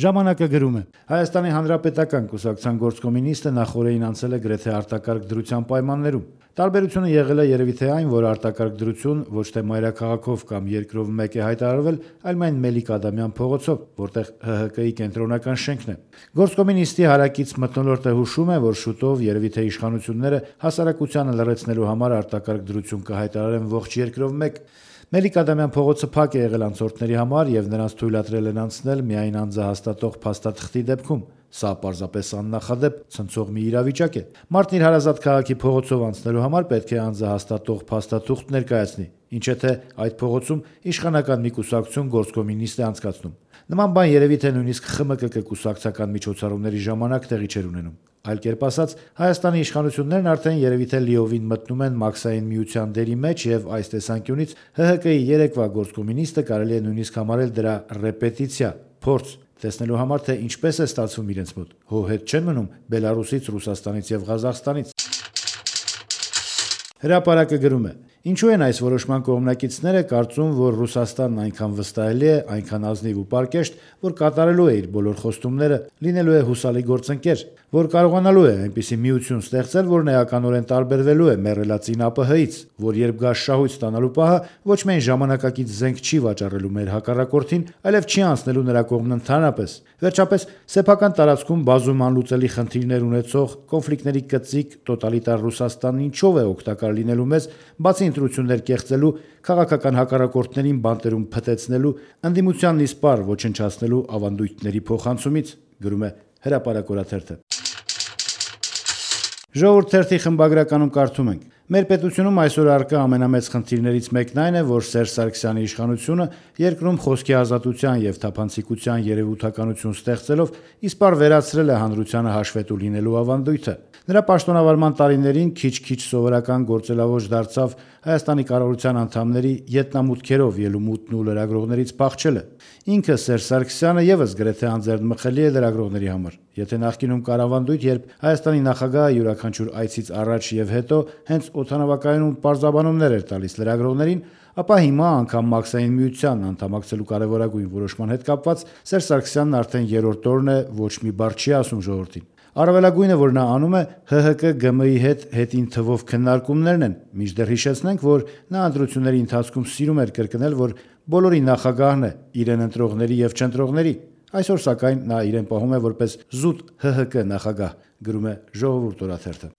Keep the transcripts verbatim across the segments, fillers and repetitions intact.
Ժամանակը գրում է. Հայաստանի Հանրապետական կուսակցության գործկոմունիստը նախօրեին անցել է գրեթե արտակարգ դրության պայմաններում։ Տարբերությունը եղել է երևի թե այն, որ արտակարգ դրություն ոչ թե մայրաքաղաքով կամ երկրով մեկ է հայտարարվել, այլ միայն Մելիք Ադամյան փողոցով, որտեղ ՀՀԿ-ի կենտրոնական շենքն է։ Գործկոմունիստի հարակից մթնոլորտը հուշում է, որ շուտով երևի թե իշխանությունները հասարակությանը լռեցնելու համար արտակարգ դրություն կհայտարարեն ողջ երկրով մեկ։ Մելիք Ադամյան փողոցը փակ է եղել անցորդների համար եւ նրանց թույլատրել են անցնել միայն անձահաստատող փաստաթղթի դեպքում։ Սա պարզապես աննախադեպ ցնցող մի իրավիճակ է։ Մարդն իր հարազատ քաղաքի փողոցով անցնելու համար պետք է անձահաստատող փաստաթուղթ ներկայացնի, ինչ է թե այդ փողոցում իշխանական մի կուսակցություն գործկոմունիստ է անցկացնում։ Նման բան երևի թե նույնիսկ ԽՄԿԿ կուսակցական միջոցառումների ժամանակ տեղի չէր ունենում։ Այլ կերպ ասած, Հայաստանի իշխանություններն արդեն երևի թե լիովին մտնում են մաքսային միության դերի մեջ եւ այս տեսանկյունից ՀՀԿ-ի երեկվա գործկոմունիստը կարելի է նույնիսկ համարել դրա ռեպետիցիա, փորձ տեսնելու համար, թե ինչպես է ստացվում իրենց մոտ։ Հո հետ չեն մնում Բելարուսից, Ռուսաստանից եւ Ղազախստանից։ Հրապարակը գրում է. Ինչու են այս որոշման կողմնակիցները կարծում, որ Ռուսաստանն այնքան վստահելի է, այնքան ազնիվ ու պարկեշտ, որ կատարելու է իր բոլոր խոստումները, լինելու է հուսալի գործընկեր, որ կարողանալու է այնպիսի միություն ստեղծել, որն էականորեն տարբերվելու է մեռելածին ԱՊՀ-ից, որ երբ գա շահույթ ստանալու պահը, ոչ միայն ժամանակակից զենք չի վաճառելու մեր հակառակորդին, այլև չի անցնելու նրա կողմն ընդհանրապես։ Վերջապես, սեփական տարածքում բազում անլուծելի խնդիրներ ունեցող, կոնֆլիկտների կծիկ տոտալիտար Ռուսաստանն ինչով է օգտակար լինելու մեզ, բացի ընտրություններ կեղծելու, քաղաքական հակառակորդներին բանտերում փտեցնելու, ընդդիմությանն իսպառ ոչնչացնելու ավանդույթների փոխանցումից, գրում է Հրապարակ օրաթերթը։ Ժողովուրդ թերթի խմբագրականում կարդում ենք. Մեր պետությունում այսօր առկա ամենամեծ խնդիրներից մեկն այն է, որ Սերժ Սարգսյանի իշխանությունը երկրում խոսքի ազատության եւ թափանցիկության երևութականություն ստեղծելով իսպառ վերացրել է հանրությանը հաշվետու լինելու ավանդույթը։ Նրա պաշտոնավարման տարիներին քիչ-քիչ սովորական գործելավոճ դարձավ Հայաստանի կառավարության անդամների ետնամուտքերով ելումուտն ու լրագրողներից փախչելը։ Ինքը Սերժ Սարգսյանը եւս գրեթե անձեռնմխելի է լրագրողների համար։ Եթե նախկինում կար ավանդույթ, երբ Հայաստանի նախագահը յուրաքանչյուր այցից առաջ եւ հետո հենց օդանավակայանում պարզաբանումներ էր տալիս լրագրողներին, ապա հիմա անգամ մաքսային միության անդամակցելու կարևորագույն որոշման հետ կապված Սերժ Սարգսյանն արդեն երրորդ օրն է ոչ մի բառ չի ասում ժողովրդին։ Առավելագույնը, որ նա անում է, ՀՀԿ-ԳՄ-ի հետ հետին թվով քննարկումներն են, մինչդեռ հիշեցնենք, որ նա ընտրությունների ընթացքում սիրում էր կրկնել, որ բոլորի նախագահն է, իրեն ընտրողների եւ չընտրողների։ Այսօր սակայն նա իրեն պահում է որպես զուտ ՀՀԿ նախագահ, գրում է Ժողովուրդ օրաթերթը։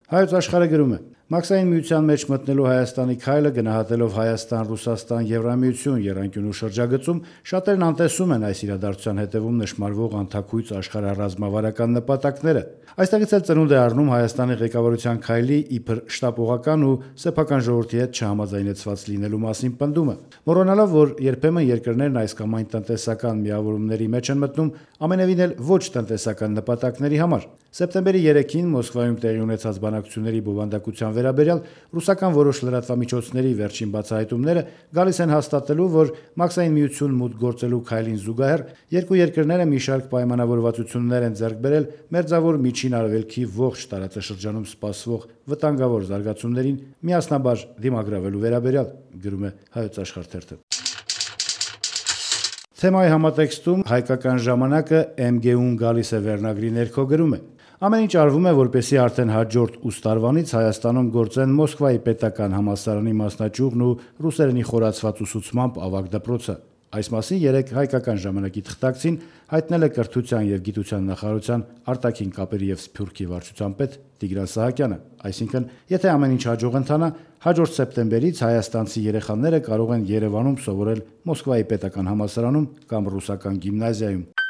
Հայոց աշխարհը գրում է. Մաքսային միության մեջ մտնելու Հայաստանի քայլը գնահատելով Հայաստան-Ռուսաստան-Եվրամիություն եռանկյունու շրջագծում շատերն անտեսում են այս իրադարձության հետևում նշмарվող անթաքույց աշխարհառազմավարական նպատակները։ Այստեղից էլ ծնունդ է առնում Հայաստանի ղեկավարության քայլի իբր շտապողական ու սեփական ժողովրդի հետ չհամաձայնեցված լինելու մասին պնդումը։ Մոռանալով, որ երբեմն երկրներն այս կամ այն տնտեսական միավորումների մեջ են մտնում ամենևին էլ ոչ տնտեսական նպատակների համար։ Սեպտեմբերի երեքին Մոսկվայում տեղի ունեցած բանակցությունների բովանդակության վերաբերյալ ռուսական որոշ լրատվամիջոցների վերջին բացահայտումները գալիս են հաստատելու, որ մաքսային միություն մուտք գործելու քայլին զուգահեռ երկու երկրները մի շարք պայմանավորվածություններ են ձեռք բերել մերձավոր միջին արևելքի ողջ տարածաշրջանում սպասվող վտանգավոր զարգացումներին միասնաբար դիմագրավելու վերաբերյալ, գրում է Հայոց աշխարհ թերթը։ Թեմայի համատեքստում հայկական ժամանակը Էմ Գ-ուն գալիս է վերնագրի ներքո գրում է. Ամեն ինչ արվում է, որպեսզի արդեն հաջորդ ուս տարվանից Հայաստանում գործեն Մոսկվայի պետական համալսարանի մասնաճյուղն ու ռուսերենի խորացված ուսուցմամբ ավագ դպրոցը։ Այս մասին երեկ հայկական ժամանակի թղթակցին հայտնել է կրթության եւ գիտության նախարարության արտաքին կապերի եւ սփյուռքի վարչության պետ Տիգրան Սահակյանը։ Այսինքն, եթե ամեն ինչ հաջող ընթանա, հաջորդ սեպտեմբերից հայաստանցի երեխաները կարող են Երևանում սովորել Մոսկվայի պետական համալսարանում կամ ռուսական գիմնազիայում։